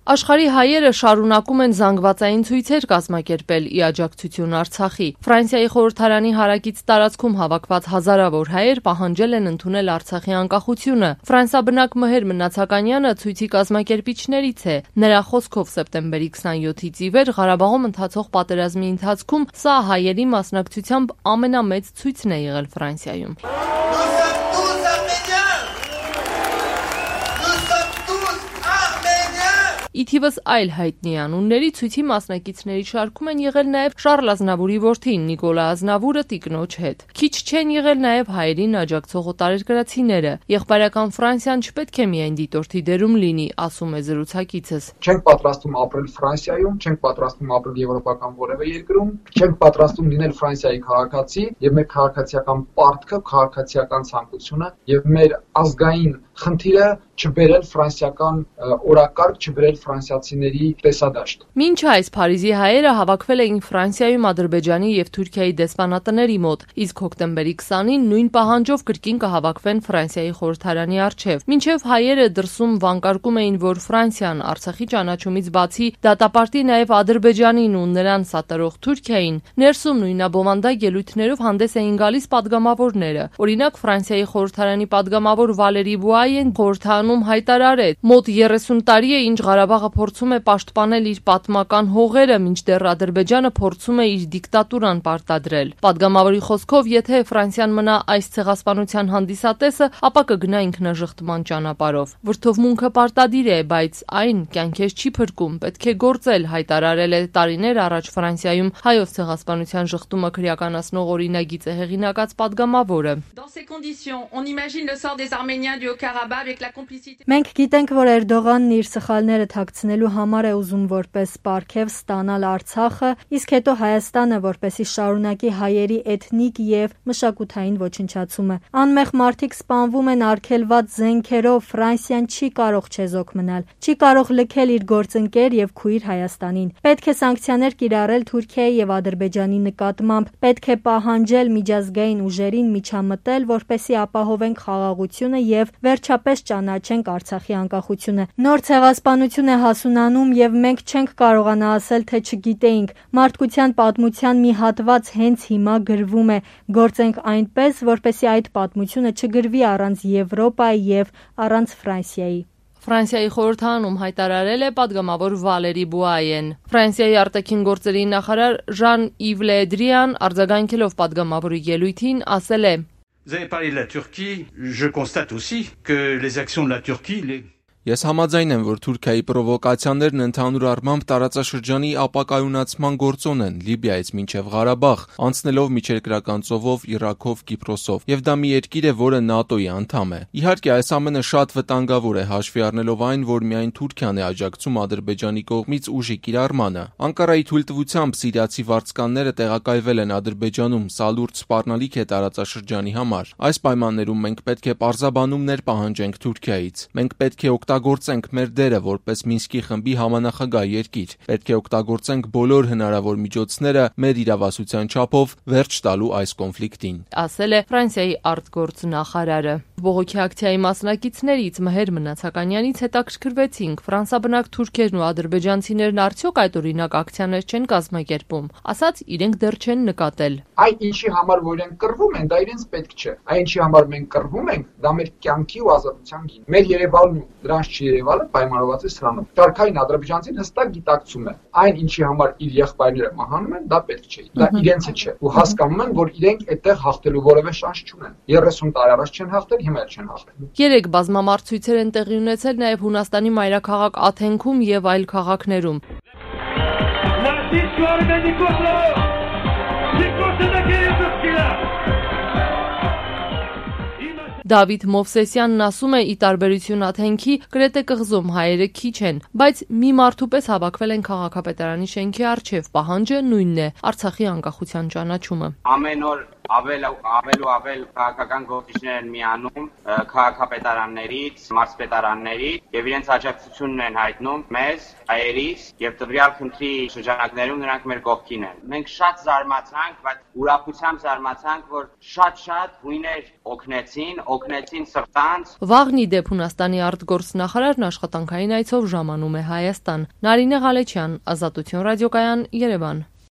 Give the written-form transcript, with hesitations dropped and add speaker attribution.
Speaker 1: Աշխարհի հայերը շարունակում են զանգվածային ցույցեր կազմակերպել ի աջակցություն Արցախի։ Ֆրանսիայի խորհրդարանի հարակից տարածքում հավաքված հազարավոր հայեր պահանջել են ընդունել Արցախի անկախությունը։ Ֆրանսիաբնակ Մհեր Մնացականյանը ցույցի կազմակերպիչներից է։ Նրա խոսքով սեպտեմբերի 27-ից ի վեր Ղարաբաղում ընթացող պատերազմի ընթացքում սա հայերի մասնակցությամբ ամենամեծ ցույցն է եղել Ֆրանսիայում։ Իթիվս այլ հայտնի անունների ցույցի մասնակիցների շարքում են եղել նաև Շառլ Ազնավուրի որդին Նիկոլա Ազնավուրը տիկնոջ հետ։ Քիչ չեն եղել նաև հայերին աջակցող օտարերկրացիները։ Եղբայրական Ֆրանսիան չպետք է միայն դիտորդի դերում լինի, ասում է զրուցակիցս։
Speaker 2: Չենք պատրաստվում ապրել Ֆրանսիայում, չենք պատրաստվում ապրել եվրոպական որևէ երկրում, չենք պատրաստվում լինել Ֆրանսիայի քաղաքացի, եւ մեր քաղաքացիական պարտքը, քաղաքացիական ցանկությունը եւ մեր ազգային խնդիրը չբերել ֆրանսիական օրակարգ, չբերել ֆրանսիացիների տեսադաշտ։
Speaker 1: Մինչ այս Փարիզի հայերը հավաքվել էին Ֆրանսիայում Ադրբեջանի եւ Թուրքիայի դեսպանատների մոտ, իսկ հոկտեմբերի 20-ին նույն պահանջով կրկին կհավաքվեն Ֆրանսիայի խորհրդարանի առջև։ Մինչև հայերը դրսում վանկարկում էին, որ Ֆրանսիան Արցախի ճանաչումից բացի դատապարտի նաև Ադրբեջանին ու նրան սատարող Թուրքիային, ներսում նույնաբովանդակ ելույթներով հանդես էին գալիս падգամավորները։ Օրինակ Ֆրանսիայի խորհրդարանի падգամավոր Վալերի Բուայեն խորհրդանում հայտարարեց. «Մոտ 30 տարի է, ինչ Ղարաբաղը փորձում է պաշտպանել իր պատմական հողերը, մինչդեռ Ադրբեջանը փորձում է իր դիկտատուրան պարտադրել»։ Պատգամավորի խոսքով, եթե Ֆրանսիան մնա այս ցեղասպանության հանդիսատեսը, ապա կգնա ինքնաժխտման ճանապարհով։ Վրդովմունքը պարտադիր է, բայց այն կյանքեր չի փրկում, պետք է գործել, հայտարարել է տարիներ առաջ Ֆրանսիայում հայոց ցեղասպանության շղթումը քրեականացնող օրինագիծը հեղինակած պատգամավորը։
Speaker 3: Մենք գիտենք, որ Էրդողանն իր սխալները թաքցնելու համար է ուզում որպես պարգև ստանալ Արցախը, իսկ հետո Հայաստանը, որպեսզի շարունակի հայերի էթնիկ եւ մշակութային ոչնչացումը։ Անմեղ մարդիկ սպանվում են արգելված զենքերով, Ֆրանսիան չի կարող չեզոք մնալ, չի կարող լքել իր գործընկեր եւ քույր Հայաստանին։ Պետք է սանկցիաներ կիրառել Թուրքիայի եւ Ադրբեջանի նկատմամբ, պետք է պահանջել միջազգային ուժերին միջամտել, որպեսզի ապահովենք խաղաղությունը եւ վերջապես ճանաչենք Արցախի անկախությունը։ Նոր ցեղասպանություն է հասունանում եւ մենք չենք կարողանա ասել, թե չգիտեինք։ Մարդկության պատմության մի հատված հենց հիմա գրվում է։ Գործենք այնպես, որպեսզի այդ պատմությունը չգրվի առանց Եվրոպայի եւ առանց Ֆրանսիայի։
Speaker 1: Ֆրանսիայի խորհրդարանում հայտարարել է падգամավոր Վալերի Բուայեն։ Ֆրանսիայի արտաքին գործերի նախարար Ժան-Իվ Լե Դրիան արձագանքելով падգամավորի ելույթին ասել է.
Speaker 4: Vous avez parlé de la Turquie, je constate aussi que les actions de la Turquie...
Speaker 5: Ես համաձայն եմ, որ Թուրքիայի պրովոկացիաներն ընդհանուր առմամբ տարածաշրջանի ապակայունացման գործոն են Լիբիայից մինչև Ղարաբաղ, անցնելով միջերկրական ծովով, Իրաքով, Կիպրոսով, եւ դա մի երկիր է, որը ՆԱՏՕ-ի անդամ է։ Իհարկե, այս ամենը շատ վտանգավոր է, հաշվի առնելով այն, որ միայն Թուրքիան է աջակցում Ադրբեջանի կողմից ուժի կիրառմանը։ Անկարայի թույլտվությամբ սիրիացի վարձկանները տեղակայվել են Ադրբեջանում, սա լուրջ սպառնալիք է տարածաշրջանի համար։ Այս պայմաններում մենք պետք է պարզաբանումներ պահանջենք Թուրքիայից։ Մենք պետք է օգտագործենք մեր դերը որպես Մինսկի խմբի համանախագահ երկիր։ Պետք է օգտագործենք բոլոր հնարավոր միջոցները մեր իրավասության չափով վերջ տալու այս կոնֆլիկտին,
Speaker 1: ասել է Ֆրանսիայի արտգործնախարարը։ Բողոքի ակցիայի մասնակիցներից Մհեր Մնացականյանից հետաքրքրվեցինք ֆրանսաբնակ թուրքերն ու ադրբեջանցիներն արդյոք այդ օրինակ ակցիաներ չեն կազմակերպում, ասաց իրենք դեռ չեն նկատել։
Speaker 2: Այն ինչի համար որ իրենք կռվում են, դա իրենց պետք չէ։ Այն ինչի համար մենք կռվում ենք, դա մեր կյանքի ու ազատության գին։ Մեր Երևանն ու դրանց չերևալը պայմանավորված է սրանով։ Շարքային ադրբեջանցին հստակ գիտակցում է, այն ինչի համար իր եղբայրները մահանում են, դա պետք չէ։ Դա իրենցը չէ։ Ու հասկանում են, որ իրենք այդտեղ հաղթելու որևէ շանս չունեն։ 30 տարի առաջ չեն հաղթել, հիմա էլ չեն հաղթելու։
Speaker 1: Երեք բազմամարդ ցույցեր են տեղի ունեցել նաև Հունաստանի մայրաքաղաք Աթենքում եւ այլ քաղաքներում։ Դավիթ Մովսեսյանն ասում է՝ ի տարբերություն Աթենքի, Կրետե կղզում հայերը քիչ են, բայց մի մարդու պես հավաքվել են քաղաքապետարանի շենքի առջև, պահանջը նույնն է՝ Արցախի անկախության ճանաչումը։
Speaker 6: Ամեն օր ավել քաղաքական գործիչներ են միանում քաղաքապետարաններից, մարզպետարաններից եւ իրենց աջակցությունն են հայտնում մեզ, հայերիս եւ տվյալ խնդրի շրջանակներում նրանք մեր կողքին են։ Մենք շատ զարմացանք, բայց ուրախությամբ զարմացանք, որ շատ հույներ օգնեցին սրտանց։
Speaker 1: Վաղն ի դեպ Հունաստանի արտգործնախարարն աշխատանքային այցով ժամանում է Հայաստան։ Նարինե Ղալեչյան, Ազատություն ռադիոկայան, Երևան։